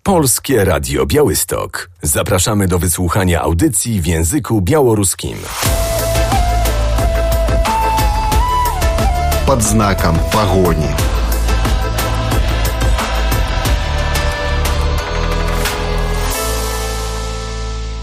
Polskie Radio Białystok. Zapraszamy do wysłuchania audycji w języku białoruskim. Под знаком погони.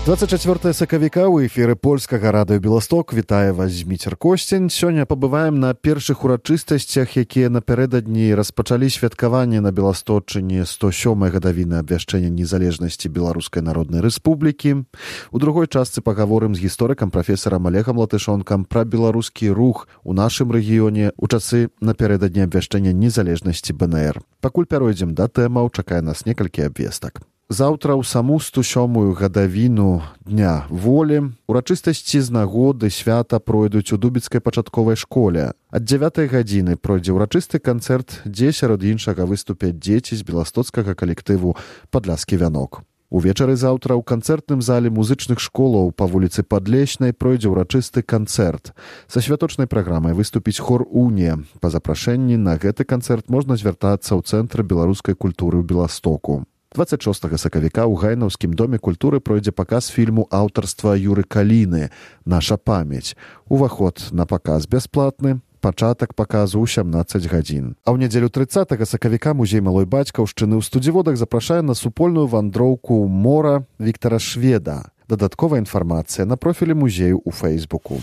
Двадцать 24 сакавіка ў эфіры польскага радыё Беласток. Вітаю вас, Зміцер Косцін. Сёння пабываем на першых урачыстасцях, якія напярэдадні распачалі святкаванне на Беласточчыне 107-й гадавіны абвяшчэння незалежнасці Беларускай Народнай Рэспублікі. У другой частцы пагаворым з гісторыкам прафесарам Олегам Латышонкам пра беларускі рух у нашым рэгіёне ў часы напярэдадні абвяшчэння незалежнасці БНР. Пакуль пяройдзем да тэмаў, чакае нас некалькі абвестак. Заўтра ў саму 107-ю гадавіну Дня волі урачыстасці з нагоды свята пройдуць у Дубіцкай пачатковай школе. Ад 9 гадзіны пройдзе ўрачысты канцэрт, дзе сярод іншага выступяць дзеці з беластоцкага калектыву «Падляскі вянок». Увечары заўтра ў канцэртным зале музычных школаў па вуліцы Падлечнай пройдзе ўрачысты канцэрт. Са святочнай праграмай выступіць хор «Унія». Па запрашэнні на гэты канцэрт можна звяртацца ў Цэнтр беларускай культуры ў Беластоку. 26 сакавіка ў Гайнаўскім доме культуры пройдзе паказ фільму аўтарства Юры Каліны «Наша памяць». Уваход на паказ бясплатны, пачатак паказу ў 17 гадзін. А ў нядзелю 30 сакавіка музей малой бацькаўшчыны ў Студзіводах запрашае на супольную вандроўку мора Віктара Шведа. Дадатковая інфармацыя на профілі музею ў Фэйсбуку.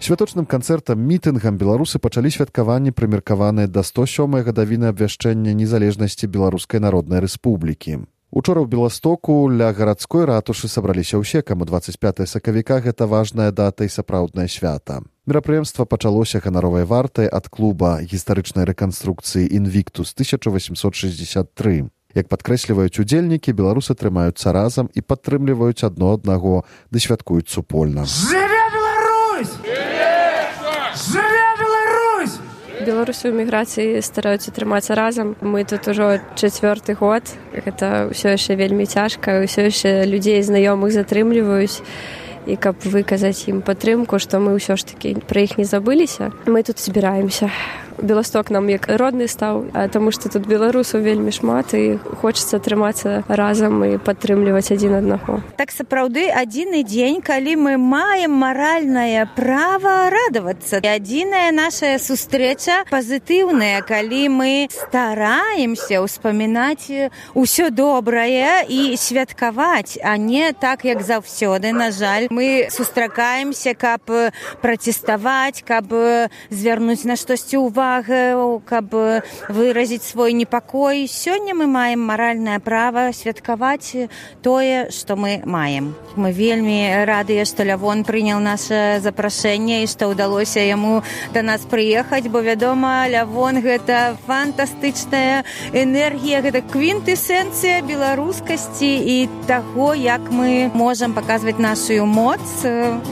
Святочным канцэртам мітынгам беларусы пачалі святкаванне, прымеркаванае да 107-й гадавіны абвяшчэння незалежнасці Беларускай Народнай Рэспублікі. Учора ў Беластоку ля гарадской ратушы сабраліся ўсе, каму 25 сакавіка гэта важная дата і сапраўднае свята. Мерапрыемства пачалося ганаровай вартай ад клуба гістарычнай рэканструкцыі «Інвіктус» 1863. Як падкрэсліваюць удзельнікі, беларусы трымаюцца разам і падтрымліваюць адно аднаго, ды святкуюць супольна. Беларусы ў міграцыі стараюцца трымацца разам. Мы тут ужо 4-й год. Гэта ўсё яшчэ вельмі цяжка, ўсё яшчэ людзей знаёмых затрымліваюць. І каб выказаць ім падтрымку, што мы ўсё ж такі пра іх не забыліся, мы тут збіраемся. Беласток нам як родны стаў, таму што тут беларусаў вельмі шмат і хочацца трымацца разам і падтрымліваць адзін аднаго. Так сапраўды адзіны дзень, калі мы маем маральнае права радавацца. Адзіная наша сустрэча пазітыўная, калі мы стараемся ўспамінаць усё добрае і святкаваць, а не так, як заўсёды, на жаль. Мы сустракаемся, каб праціставаць, каб звярнуць на штосьці ўвагу, каб выразіць свой непакой. Сёння мы маем маральнае права святкаваць тое, што мы маем. Мы вельмі радыя, што Лявон прыняў наше запрашэнне і што ўдалося яму да нас прыехаць, бо, вядома, Лявон — гэта фантастычная энергія, гэта квінтэсенцыя беларускасці і таго, як мы можам паказваць нашу моц.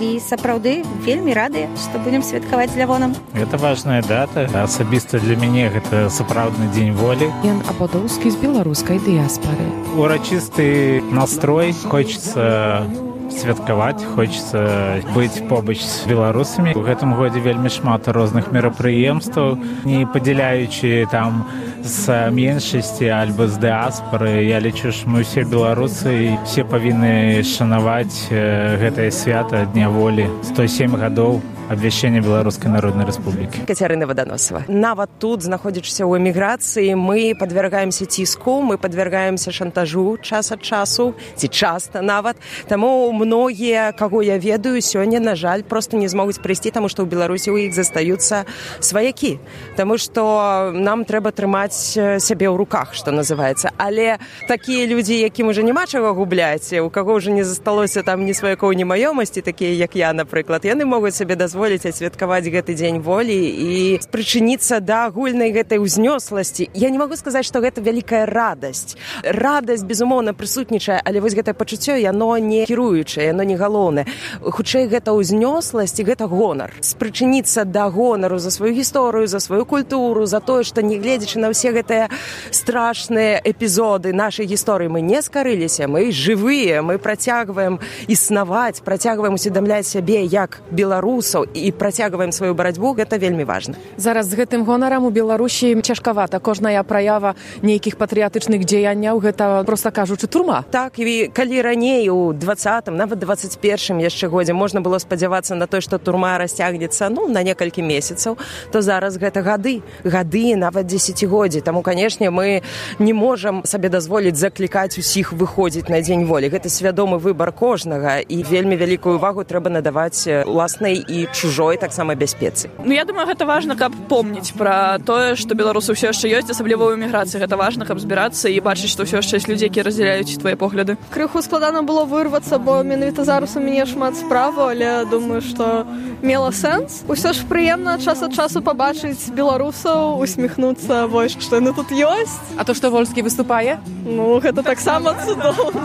І сапраўды вельмі радыя, што будзем святкаваць з Лявонам. Гэта важная дата. Асабіста для мяне гэта сапраўдны дзень волі. Ян Ападоўскі з беларускай дыяспары. Урачысты настрой, хочацца святкаваць, хочацца быць побач з беларусамі. У гэтым годзе вельмі шмат розных мерапрыемстваў, не падзяляючы там з меншасці альбо з дыаспары. Я лічу, што мы ўсе беларусы і все павінны шанаваць гэтае свята Дня волі. 107 гадоў абвяшчэння Беларускай Народнай Рэспублікі. Кацярына Ваданосава. Нават тут, знаходзячыся ў эміграцыі, мы падвяргаемся ціску, мы падвяргаемся шантажу час ад часу, ці часта нават. Таму многія, каго я ведаю, сёння, на жаль, проста не змогуць прыйсці, таму што ў Беларусі ў іх застаюцца сваякі. Таму што нам трэба трымаць сябе ў руках, што называецца. Але такія людзі, якім ужо няма чаго губляць, у каго ўжо не засталося там ні сваякоў, ні маёмасці, такія, як я, напрыклад, яны могуць сабе дазволіць дазволіць асвяткаваць гэты дзень волі і спрычыніцца да агульнай гэтай узнёсласці. Я не магу сказаць, што гэта вялікая радасць. Радасць, безумоўна, прысутнічае, але вось гэтае пачуццё, яно не кіруючае, яно не галоўнае. Хутчэй, гэта узнёсласць і гэта гонар. Спрычыніцца да гонару за сваю гісторыю, за сваю культуру, за тое, што не гледзячы на ўсе гэтыя страшныя эпізоды нашай гісторыі, мы не скарыліся, мы жывыя, мы працягваем існаваць, працягваем усведамляць сябе як беларусаў і працягваем сваю барацьбу, гэта вельмі важна. Зараз з гэтым гонарам у Беларусі цяжкавата. Кожная праява нейкіх патрыятычных дзеянняў, гэта, проста кажучы, турма. Так, і калі раней у 20-м, нават 21-м яшчэ годзе можна было спадзявацца на тое, што турма расцягнецца, на некалькі месяцаў, то зараз гэта гады, нават дзесяцігоддзі. Таму, канешне, мы не можам сабе дазволіць заклікаць усіх выходзіць на дзень волі. Гэта свядомы выбар кожнага, і вельмі вялікую увагу трэба надаваць уласнай і чужой таксама бяспецы. Я думаю, гэта важна, каб помніць пра тое, што беларусы ўсё яшчэ ёсць, асабліва ў эміграцыі. Гэта важна, каб збірацца і бачыць, што ўсё яшчэ ёсць людзі, якія раздзяляюць твае погляды. Крыху складана было вырвацца, бо менавіта зараз у мяне шмат справаў, але думаю, што мела сэнс. Усё ж прыемна час ад часу пабачыць беларусаў, усміхнуцца, вось, што яны тут ёсць. А то, што Вольскі выступае? Гэта таксама цудоўна.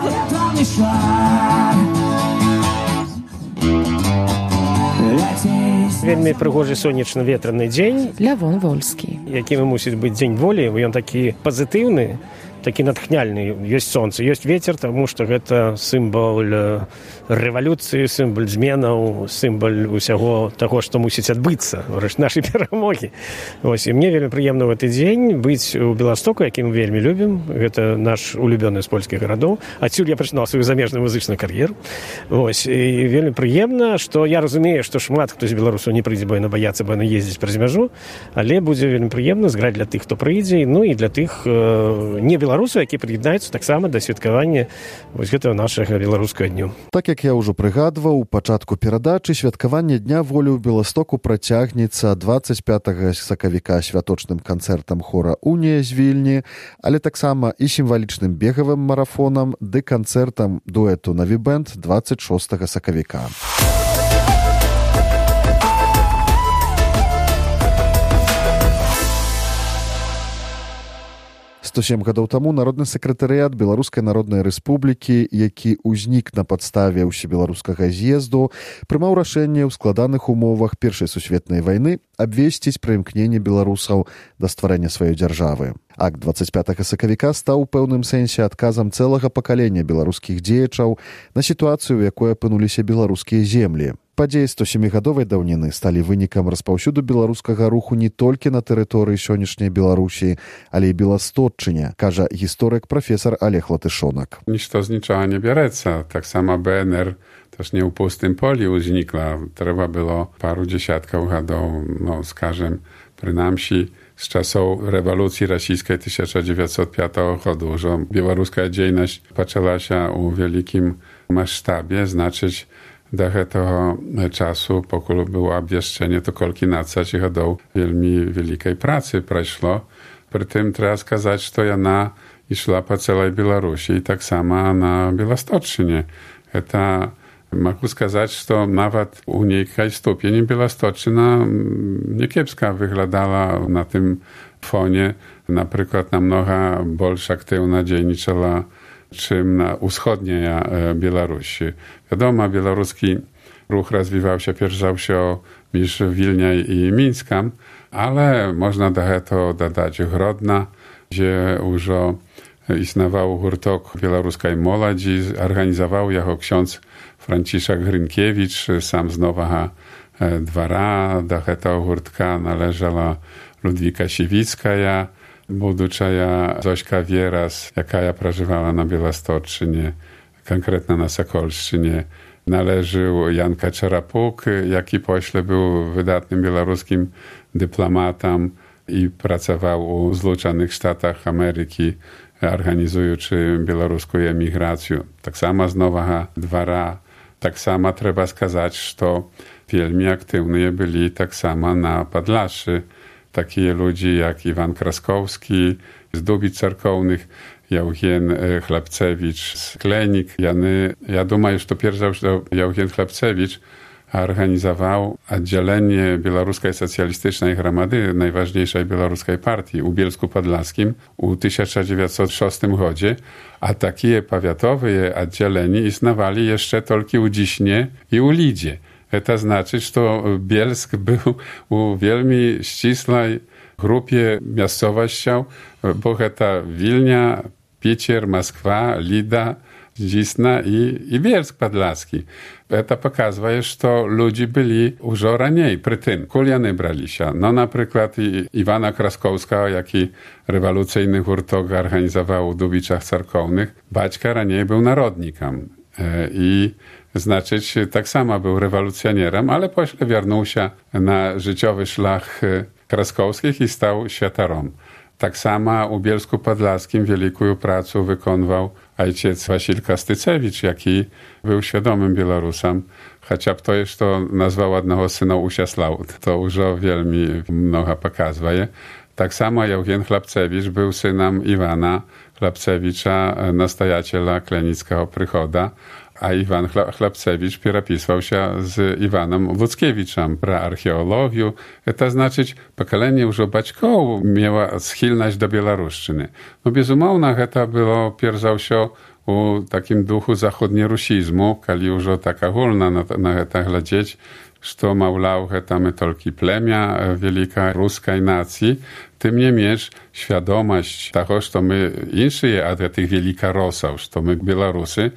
Вельмі прыгожы сонечны ветраны дзень. Лявон Вольскі. Якім мусіць быць дзень волі, ён такі пазітыўны, такі натхняльны. Ёсць сонца, ёсць вецер, таму што гэта сімвал рэвалюцыі, сімвал зменаў, сімвал усяго таго, што мусіць адбыцца, нашай перамогі. Вось, і мне вельмі прыемна ў гэты дзень быць у Беластоку, які мы вельмі любім. Гэта наш улюбёны з польскіх гарадоў. Адсюль я пачынаў сваю замежную музычную кар'еру. Вось, і вельмі прыемна, што я разумею, што шмат хто з беларусаў не прыйдзе, бо яны баяцца, бо яны ездзіць праз мяжу, але будзе вельмі прыемна зграць для тых, хто прыйдзе, і для тых не беларусаў, які прыяднаюцца таксама да святкавання вось гэтага нашага беларускага дню. Так як я ўжо прыгадваў, у пачатку перадачы святкаванне Дня волі ў Беластоку працягнецца 25 сакавіка святочным канцэртам хора «Унія» з Вільні, але таксама і сімвалічным бегавым марафонам ды канцэртам дуэту «Навібэнд» 26 сакавіка. 107 гадоў таму народны сакратарыят Беларускай Народнай Рэспублікі, які ўзнік на падставе ўсебеларускага з'езду, прымаў рашэнне ў складаных умовах Першай сусветнай вайны абвесціць пра імкненне беларусаў да стварэння сваёй дзяржавы. Акт 25 сакавіка стаў у пэўным сэнсе адказам цэлага пакалення беларускіх дзеячаў на сітуацыю, у якой апынуліся беларускія землі. Падзеі 107-гадовай даўніны сталі вынікам распаўсюду беларускага руху не толькі на тэрыторыі сённяшняй Беларусі, але і Беластотчыне, кажа гісторык прафесар Олег Латышонак. Нішто з нічога не бярэцца. Таксама БНР też nie u pustym poliu znikła. Trzeba było paru dziesiątków gadów, skażem, przynajmniej z czasów rewolucji rosyjskiej 1905 roku, że białoruska dziejność zaczęła się u wielkim masштабie, znaczyć do tego czasu, pokój było obwieszczenie, to kolki na 30 годов wielmi wielkiej pracy przeszło. Przy tym trzeba сказать, że ona szła po całej Białorusi i tak samo na Białostocczynie. To mogę сказать, że nawet u niejkiej stopni Białostocczyna niekiepska wyglądała na tym fonie. Na przykład namnoga больше aktywna dzienniczała czym na wschodniej Białorusi. Wiadomo, białoruski ruch rozwijał się pierwszy niż Wilnia i Mińska, ale można do tego dodać Grodna, gdzie już istniał hurtok białoruskiej młodzi, organizował jako ksiądz Franciszek Grynkiewicz, sam z Nowego Dwora. Do tego hurtka należała Ludwika Siewickaja, budучая Zośka Wieras, jaka przeżywała na Białostocczynie, konkretnie na Sokolszczynie. Należył Jan Kaczerapuk, jaki pośle był wydatnym białoruskim dyplomatą i pracował u Zjednoczonych Stanach Ameryki, organizując białoruską emigrację. Tak samo z Nowego Dwora. Tak samo trzeba сказать, że wielmi aktywni byli tak samo na Podlaszy. Takie ludzie jak Iwan Kraskowski z Dubic Cerkownych, Jauchen Chlebcewicz z Klenik. Ja думаю, że pierwszy Jauchen Chlebcewicz organizował oddzielenie Białoruskiej Socjalistycznej Gromady, najważniejszej białoruskiej partii u Bielsku-Podlaskim u 1906 roku, a takie powiatowe oddzielenie istniewali jeszcze tylko u Dziśnie i u Lidzie. To znaczy, że Bielsk był u wielmi ścisłej grupie miejscowości, bo to Wilnia, Picier, Moskwa, Lida, Dzisna i Bielsk Podlaski. To pokazuje, że ludzie byli już raniej przy tym. Kuliany brali się. No na przykład Iwana Kraskowska, jaki rewolucyjny hurtok organizował u Dubiczach Cerkownych, baćka raniej był narodnikiem. I znaczyć tak samo był rewolucjonierem, ale pośle wiernuł się na życiowy szlak Kraskowskich i stał świętarą. Tak samo u Bielsku Podlaskim wielką pracę wykonywał ojciec Wasil Kastycewicz, jaki był świadomym Białorusem, chociaż to jeszcze nazwał jednego syna Usiaslał. To już wielmi mnogo pokazuje. Tak samo Eugen Chlapcewicz był synem Iwana Chlapcewicza, nastojaciela Klenickiego Przychoda, a Iwan Chlapcewicz przerapisał się z Iwanem Ludzkiewiczem pra archeologię. To znaczy, pokolenie już baćków miało schylność do białoruszczyny. No bezumownie to było pierwsze u takim duchu zachodnierusizmu, kiedy już tak ogólna na to глядеть, że małlał my tylko plemię wielkiej ruskiej nacji, tym niemniej świadomość tego, że my insi od tych wielkich Rosów, że my Białorusy,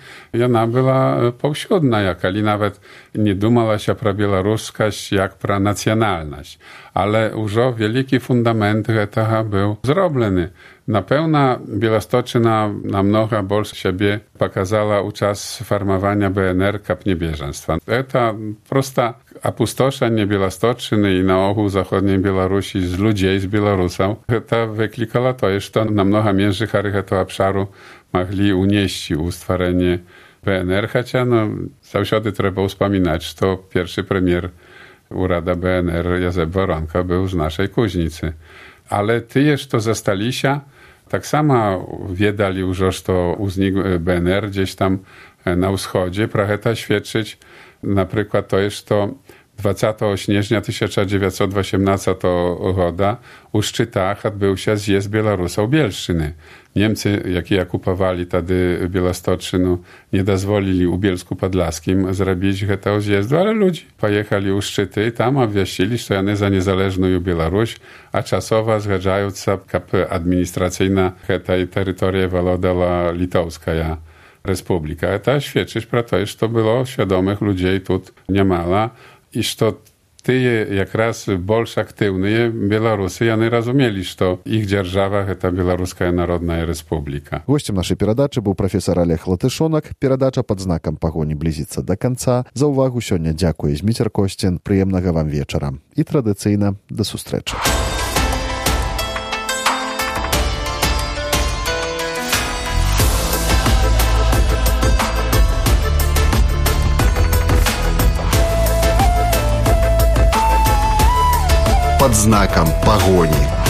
ona była powszechna, jeżeli nawet nie dumała się pro białoruskość jak pro nacjonalność. Ale już wielki fundament tego był zrobiony. Na pewno Białostoczyna namnogo больше siebie pokazała u czas formowania BNR jak niebieżeństwa. To prosta opustoszenie Białostoczyny i na ogół zachodniej Białorusi z ludzi z Białorusów, to wyklikało to, że namnogo mniejszych tego obszaru mogli unieść u stworzenie BNR, chociaż zawsze trzeba wspominać, że to pierwszy premier urada BNR Józef Woronko był z naszej Kuźnicy. Ale ty, to zostali się, tak samo wiedali już, że to uznik BNR gdzieś tam na wschodzie, prawie to świadczyć na przykład to jest to 20 sierpnia 1918 roku u Szczytach odbył się zjazd Białorusów Bielszczyny. Niemcy, jakie okupowali wtedy Białostoczynę, nie dozwolili u Bielsku Podlaskim zrobić tego zjazdu, ale ludzie pojechali u Szczyty i tam obwieścili, że oni za niezależną Białoruś, a czasowo zgadzają się, jak administracyjna tej terytorii wolodała Litowska Republika. To świadczy pro to, że to było świadomych ludzi tu niemalo i że ty jak больше aktywni Białorusy, oni rozumieli, że ich dzierżawa to Białoruska Narodna Republika. Гостем нашей передачи был профессор Олег Латышонок. Передача под знаком погони близится до конца. За увагу сёння дзякуе Зміцер Костін. Прыемнага вам вечара. І традыцыйна да сустрэчы. Под знаком погони.